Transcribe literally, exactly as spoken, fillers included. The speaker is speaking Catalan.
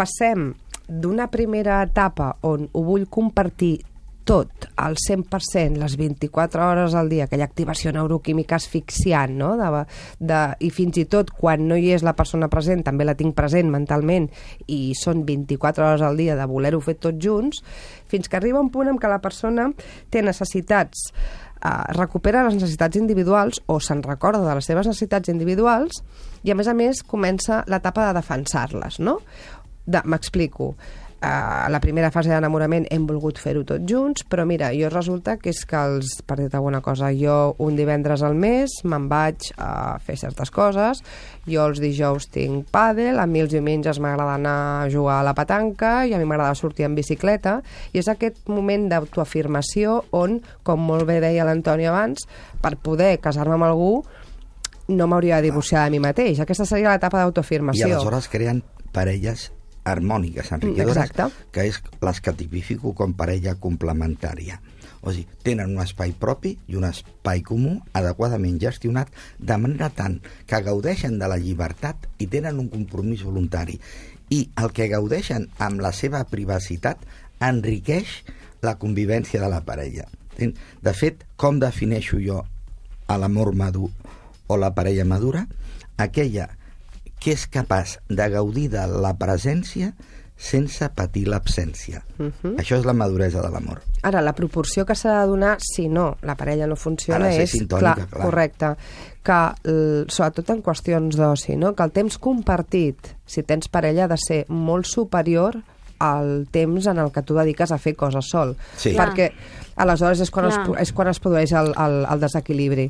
passem d'una primera etapa on ho vull compartir tot, al cent per cent, les vint-i-quatre hores al dia, aquella activació neuroquímica asfixiant, no? De, de, i fins i tot quan no hi és la persona present, també la tinc present mentalment, i són vint-i-quatre hores al dia de voler-ho fer tots junts, fins que arriba un punt en què la persona té necessitats, eh, recupera les necessitats individuals o se'n recorda de les seves necessitats individuals i, a més a més, comença l'etapa de defensar-les, no? De, m'explico. Uh, la primera fase d'enamorament hem volgut fer-ho tots junts, però mira, jo resulta que és que els, per dir-te alguna cosa, jo un divendres al mes me'n vaig a fer certes coses, jo els dijous tinc pàdel, a mi els diumenges m'agrada anar a jugar a la petanca i a mi m'agrada sortir en bicicleta, i és aquest moment d'autoafirmació on, com molt bé deia l'Antoni abans, per poder casar-me amb algú no m'hauria de divorciar de mi mateix. Aquesta seria l'etapa d'autoafirmació. I aleshores creen parelles harmòniques, enriquidores, exacte, que és les que tipifico com parella complementària. O sigui, tenen un espai propi i un espai comú adequadament gestionat, de manera tant que gaudeixen de la llibertat i tenen un compromís voluntari. I el que gaudeixen amb la seva privacitat enriqueix la convivència de la parella. De fet, com defineixo jo a l'amor madur o la parella madura? Aquella que és capaç de gaudir de la presència sense patir l'absència. Uh-huh. Això és la maduresa de l'amor. Ara, la proporció que s'ha de donar, si no, la parella no funciona, és, sintònica, clar, clar, correcte, que, sobretot en qüestions d'oci, no? Que el temps compartit, si tens parella, ha de ser molt superior al temps en el que tu dediques a fer coses sol. Sí. Perquè aleshores és quan, es, és quan es produeix el, el, el desequilibri.